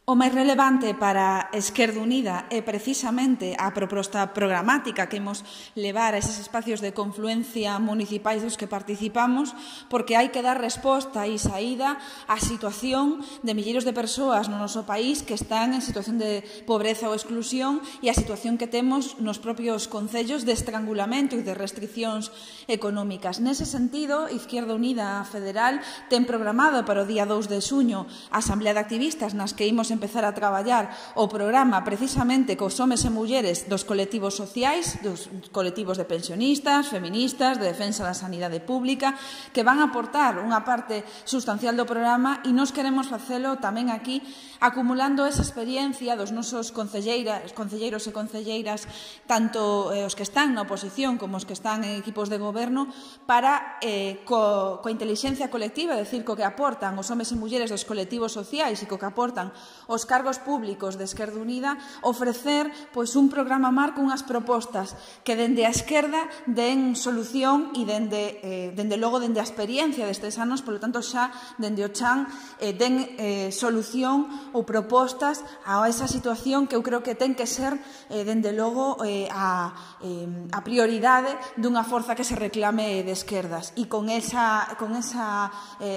O máis relevante para Esquerda Unida é precisamente a proposta programática que imos levar a eses espacios de confluencia municipais dos que participamos, porque hai que dar resposta e saída á situación de milleiros de persoas no noso país que están en situación de pobreza ou exclusión e a situación que temos nos propios concellos de estrangulamento e de restriccións económicas. Nese sentido, Izquierda Unida Federal ten programado para o día 2 de xuño a Asamblea de Activistas nas que imos empezar a traballar o programa precisamente cos homes e mulleres dos colectivos sociais, dos colectivos de pensionistas, feministas, de defensa da sanidade pública, que van a aportar unha parte sustancial do programa e nos queremos facelo tamén aquí acumulando esa experiencia dos nosos concelleiros e concelleiras, tanto os que están na oposición como os que están en equipos de goberno, para, coa intelixencia colectiva, é dicir, co que aportan os homes e mulleres dos colectivos sociais e co que aportan os cargos públicos de Esquerda Unida, ofrecer un programa marco, unhas propostas que dende a esquerda den solución e dende logo dende a experiencia destes anos, polo tanto xa dende o chan den solución ou propostas a esa situación que eu creo que ten que ser dende logo a prioridade dunha forza que se reclame de esquerdas. E con esa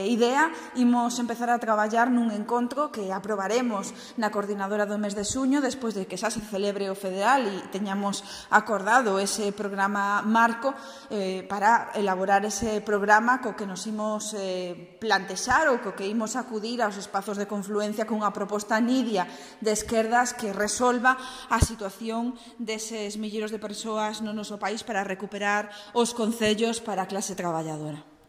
idea imos empezar a traballar nun encontro que aprobaremos na coordinadora do mes de xuño, despois de que xa se celebre o federal e teñamos acordado ese programa marco para elaborar ese programa co que nos imos plantexar ou co que imos acudir aos espazos de confluencia cunha proposta nidia de esquerdas que resolva a situación deses milleiros de persoas no noso país para recuperar os concellos para a clase traballadora.